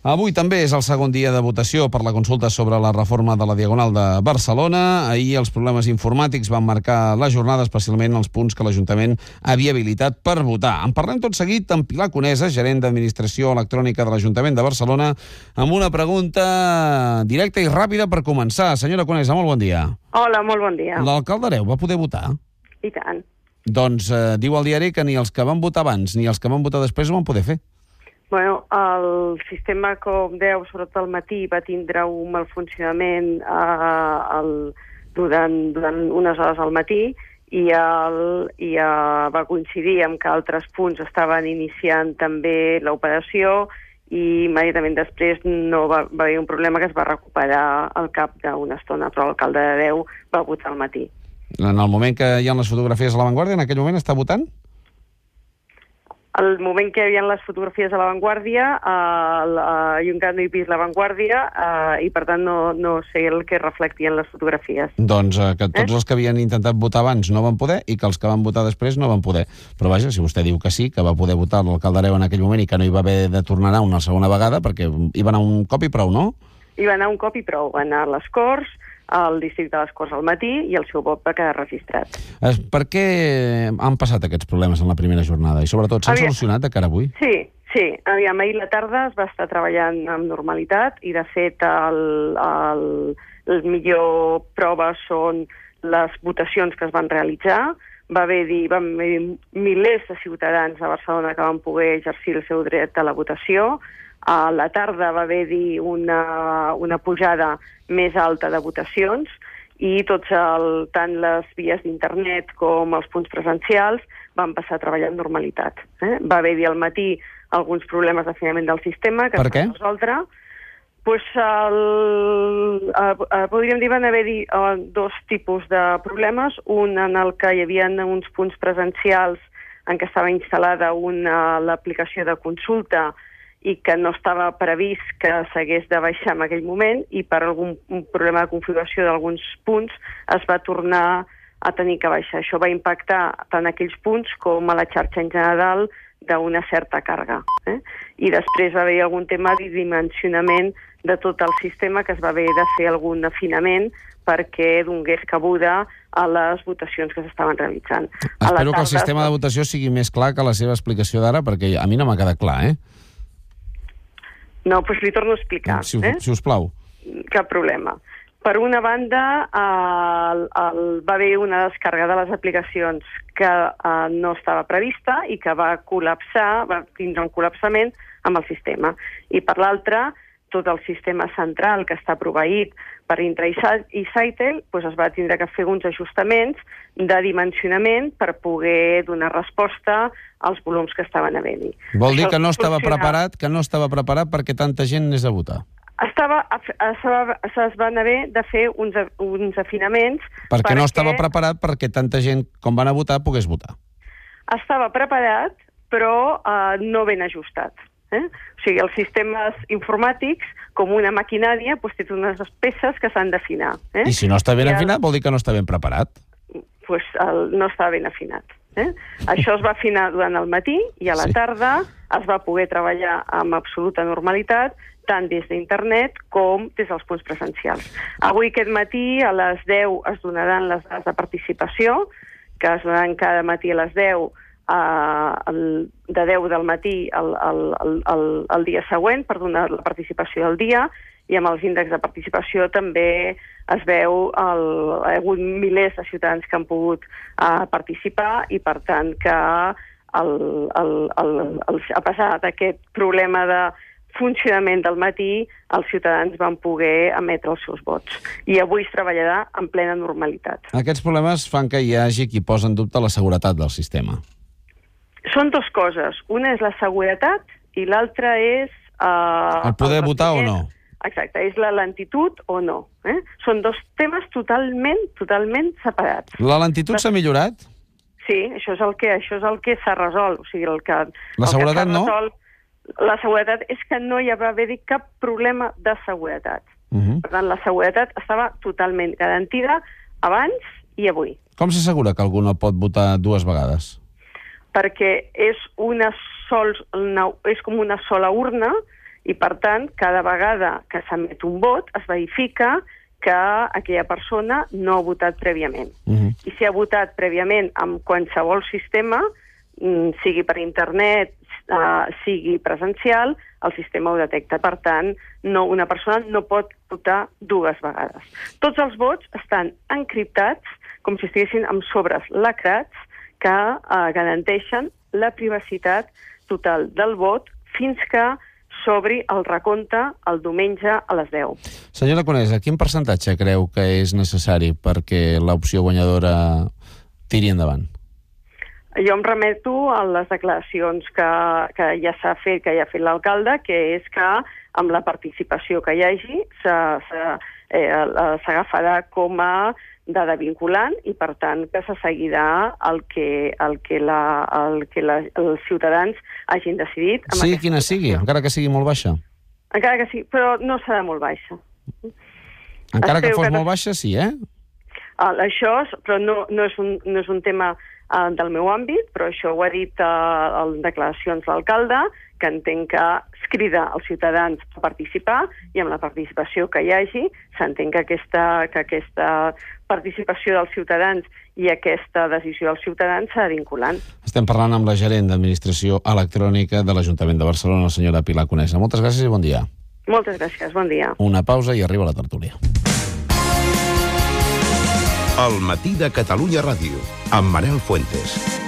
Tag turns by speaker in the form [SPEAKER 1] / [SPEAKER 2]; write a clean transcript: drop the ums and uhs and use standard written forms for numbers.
[SPEAKER 1] Avui també és el segon dia de votació per la consulta sobre la reforma de la Diagonal de Barcelona. Ahir els problemes informàtics van marcar la jornada, especialment els punts que l'Ajuntament havia habilitat per votar. En parlem tot seguit amb Pilar Conesa, gerent d'Administració Electrònica de l'Ajuntament de Barcelona, amb una pregunta directa i ràpida per començar. Senyora Conesa, molt bon dia.
[SPEAKER 2] Hola, molt bon dia.
[SPEAKER 1] L'alcalde Hereu va poder votar?
[SPEAKER 2] I tant.
[SPEAKER 1] Doncs diu al diari que ni els que van votar abans ni els que van votar després ho van poder fer.
[SPEAKER 2] Bueno, el sistema, com deu, sobretot al matí, va tindre un mal funcionament durant unes hores al matí i va coincidir amb que altres punts estaven iniciant també l'operació i immediatament després no va haver un problema que es va recuperar al cap d'una estona, però l'alcalde d'Hereu va votar al matí.
[SPEAKER 1] En el moment que hi ha les fotografies a l'avantguàrdia, en aquell moment està votant?
[SPEAKER 2] Al moment que hi havia les fotografies a l'avantguàrdia, jo encara no he vist l'avantguàrdia i per tant no sé el que reflectien les fotografies.
[SPEAKER 1] Doncs que tots els que havien intentat votar abans no van poder i que els que van votar després no van poder. Però vaja, si vostè diu que sí, que va poder votar l'alcalde Hereu en aquell moment i que no hi va haver de tornar una segona vegada, perquè hi va anar un cop i prou, no?
[SPEAKER 2] Hi va anar un cop i prou. Va anar a les Corts, al districte de les Corts al matí i el seu vot va quedar registrat.
[SPEAKER 1] Per què han passat aquests problemes en la primera jornada? I sobretot, s'han solucionat de cara a avui?
[SPEAKER 2] Sí. Aviam, ahir la tarda es va estar treballant amb normalitat i, de fet, el millor prova són les votacions que es van realitzar. Va haver milers de ciutadans a Barcelona que van poder exercir el seu dret a la votació. A la tarda va haver-hi una pujada més alta de votacions i tant les vies d'internet com els punts presencials van passar a treballar amb normalitat. Va haver-hi al matí alguns problemes d'afinament del sistema que es van resoldre. Podríem dir que van haver-hi dos tipus de problemes. Un en el que hi havia uns punts presencials en què estava instal·lada l'aplicació de consulta i que no estava previst que s'hagués de baixar en aquell moment i per algun problema de configuració d'alguns punts es va tornar a tenir que baixar. Això va impactar tant aquells punts com a la xarxa en general d'una certa càrrega. I després va haver algun tema de dimensionament de tot el sistema que es va haver de fer algun afinament perquè donés cabuda a les votacions que s'estaven realitzant.
[SPEAKER 1] Espero que el sistema de votació sigui més clar que la seva explicació d'ara, perquè a mi no m'ha quedat clar,
[SPEAKER 2] No, doncs li torno a explicar.
[SPEAKER 1] Si us plau.
[SPEAKER 2] Cap problema. Per una banda, va haver una descàrrega de les aplicacions que no estava prevista i que va tindre un col·lapsament amb el sistema. I per l'altra, tot el sistema central que està proveït per Intra i Sitel es va tindre que fer uns ajustaments de dimensionament per poder donar resposta als volums que estaven havent-hi.
[SPEAKER 1] Vol dir que no estava preparat perquè tanta gent anés a votar?
[SPEAKER 2] Es van haver de fer uns afinaments...
[SPEAKER 1] Perquè no estava preparat perquè tanta gent com van a votar pogués votar.
[SPEAKER 2] Estava preparat, però no ben ajustat. O sigui, els sistemes informàtics, com una maquinària, té unes peces que s'han d'afinar.
[SPEAKER 1] I si no està ben afinat, vol dir que no està ben preparat?
[SPEAKER 2] Doncs no està ben afinat. Això es va afinar durant el matí i a la tarda es va poder treballar amb absoluta normalitat, tant des d'internet com des dels punts presencials. Avui aquest matí a les 10 es donaran les dades de participació, que es donaran cada matí a les 10 de 10 del matí al dia següent per donar la participació del dia, i amb els índexs de participació també es veu ha hagut milers de ciutadans que han pogut participar i per tant que a pesar d'aquest problema de funcionament del matí, els ciutadans van poder emetre els seus vots. I avui es treballarà en plena normalitat.
[SPEAKER 1] Aquests problemes fan que hi hagi qui posa en dubte la seguretat del sistema.
[SPEAKER 2] Són dues coses. Una és la seguretat i l'altra és...
[SPEAKER 1] el poder votar o no.
[SPEAKER 2] Exacte, és la lentitud o no. Són dos temes totalment separats.
[SPEAKER 1] La lentitud s'ha millorat?
[SPEAKER 2] Sí, això és el que s'ha resolt. O sigui,
[SPEAKER 1] la seguretat no?
[SPEAKER 2] La seguretat és que no hi va haver cap problema de seguretat. Per tant, la seguretat estava totalment garantida abans i avui.
[SPEAKER 1] Com s'assegura que algú no pot votar dues vegades?
[SPEAKER 2] Perquè és com una sola urna I, per tant, cada vegada que s'emet un vot es verifica que aquella persona no ha votat prèviament. I si ha votat prèviament amb qualsevol sistema, sigui per internet, sigui presencial, el sistema ho detecta. Per tant, una persona no pot votar dues vegades. Tots els vots estan encriptats com si estiguessin amb sobres lacrats que garanteixen la privacitat total del vot fins que s'obri el recompte el diumenge a les 10.
[SPEAKER 1] Senyora Conesa, quin percentatge creu que és necessari perquè l'opció guanyadora tiri endavant?
[SPEAKER 2] Jo em remeto a les declaracions que ja s'ha fet, que ja ha fet l'alcalde, que és que amb la participació que hi hagi s'agafarà com a dada vinculant i, per tant, que se seguirà el que els ciutadans hagin decidit.
[SPEAKER 1] Sigui quina sigui, encara que sigui molt baixa?
[SPEAKER 2] Encara que sigui, però no serà molt baixa.
[SPEAKER 1] Encara que fos molt baixa, sí, eh?
[SPEAKER 2] Això, però no és un tema del meu àmbit, però això ho ha dit en declaracions l'alcalde, que entenc que es crida als ciutadans a participar i amb la participació que hi hagi s'entén que aquesta participació dels ciutadans i aquesta decisió dels ciutadans serà vinculant.
[SPEAKER 1] Estem parlant amb la gerent d'Administració Electrònica de l'Ajuntament de Barcelona, la senyora Pilar Conesa. Moltes gràcies i bon dia.
[SPEAKER 2] Moltes gràcies, bon dia.
[SPEAKER 1] Una pausa i arriba la tertúlia.
[SPEAKER 3] El matí de Catalunya Ràdio, amb Manel Fuentes.